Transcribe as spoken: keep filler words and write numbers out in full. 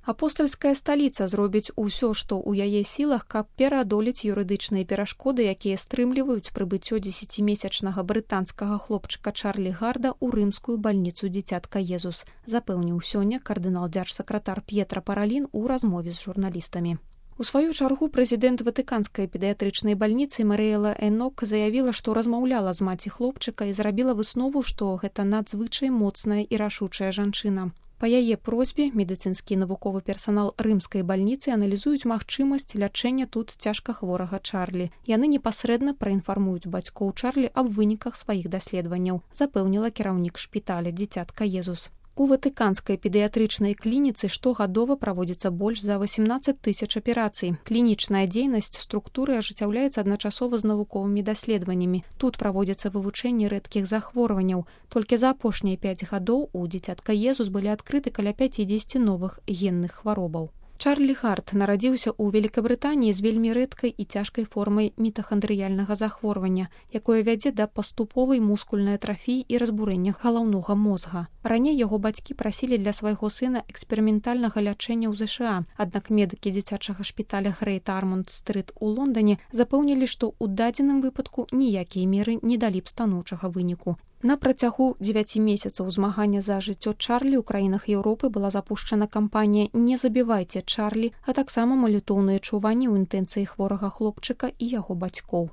Апостальская сталіца зробіць усё, што ў яе сілах, каб пераадолець юрыдычныя перашкоды, якія стрымліваюць прыбыццё дзесяцімесячнага брытанскага хлопчыка Чарлі Гарда ў рымскую бальніцу дзіцятка Езус, запэўніў сёння кардынал-дзяржсакратар П'етра Паралін у размове з журналістамі. У сваю чаргу прэзідэнт ватыканскай педыятрычнай бальніцы Марыэла Энок заявіла, што размаўляла з маці хлопчыка і зрабіла выснову, што гэта надзвычай моцная і рашучая жанчына. Па яе просьбе медыцынскі навуковы персанал рымскай бальніцы аналізуюць магчымасць лячэння тут цяжкахворага Чарлі. Яны непасрэдна праінфармуюць бацькоў Чарлі аб выніках сваіх даследаванняў, запэўніла кіраўнік шпіталя дзіцятка Езус. У ватыканскай педыятрычнай клініцы штогадова праводзіцца больш за васямнаццаць тысяч аперацый. Клінічная дзейнасць структуры ажыццяўляецца адначасова з навуковымі даследаваннямі. Тут праводзіцца вывучэнне рэдкіх захворванняў. Толькі за апошнія пяць гадоў у дзіцятка Езус былі адкрыты каля пяцідзесяці новых генных хваробаў. Чарлі Гард нарадзіўся ў Великабрытаніі з вельмі рэдкай і цяжкай формай мітахандрыяльнага захворвання, якое вядзе да паступовай мускульнай атрафіі і разбурэння галаўнога мозга. Раней яго бацькі прасілі для свайго сына эксперыментальнага лячэння ў ЗША, аднак медыкі дзіцячага шпіталя Грэйт Армонд-стрыт у Лондане запэўнілі, што ў дадзеным выпадку ніякія меры не далі б станоўчага выніку. На працягу дзевяці месяцаў змагання за жыццё Чарлі ў краінах Еўропы была запушчана кампанія «Не забівайце Чарлі», а таксама малітоўныя чуванні ў інтэнцыі хворага хлопчыка і яго бацькоў.